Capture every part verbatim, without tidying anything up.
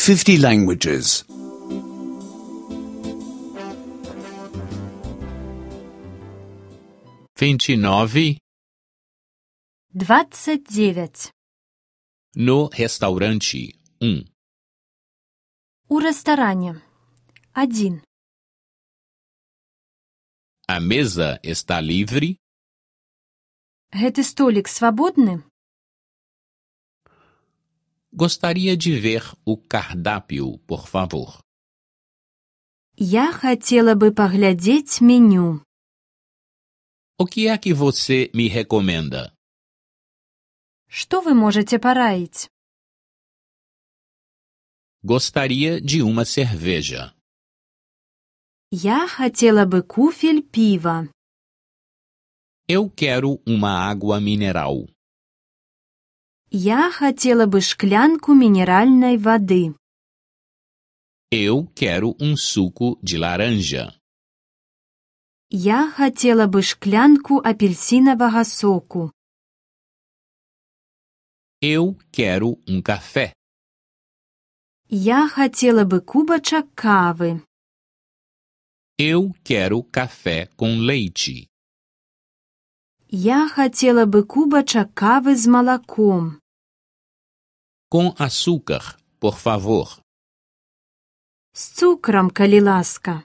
fifty languages. Vinte e nove. Двадцать девять. No restaurante um. У рэстаране. Один. A mesa está livre? Гэты столік свабодны? Gostaria de ver o cardápio, por favor. Я хотела бы паглядзець меню. O que é que você me recomenda? Што вы можаце параіць? Gostaria de uma cerveja. Я хотела бы куфель піва. Eu quero uma água mineral. Я хотела бы шклянку мінеральнай вады. Eu quero um suco de laranja. Я хотела бы шклянку апельсинавага соку. Eu quero um café. Я хотела бы кубачак кавы. Eu quero café com leite. Я хотела бы кубачак кавы з малаком. Com açúcar, por favor. З цукрам, калі ласка.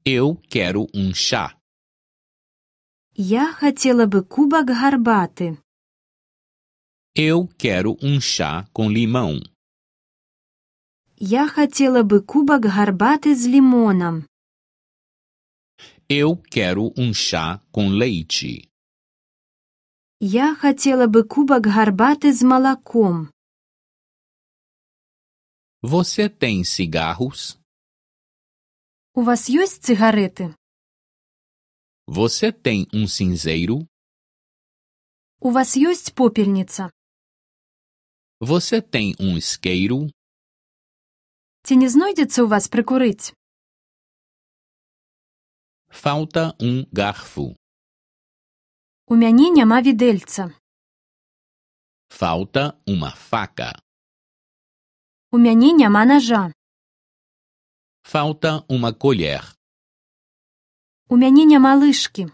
Eu quero um chá. Я хотела бы кубак гарбаты. Eu quero um chá com limão. Я хотела бы кубак гарбаты з лімонам. Eu quero um chá com leite. Я хотела бы кубак гарбаты з малаком. Você tem cigarros? У вас ёсць цыгарэты? Você tem um cinzeiro? У вас ёсць попельніца? Você tem um isqueiro? Ці не знойдзецца ў вас прыкурыць? Falta um garfo. У мяне няма відэльца. Falta uma faca. У мяне няма нажа. Falta uma colher. У мяне няма лыжкі.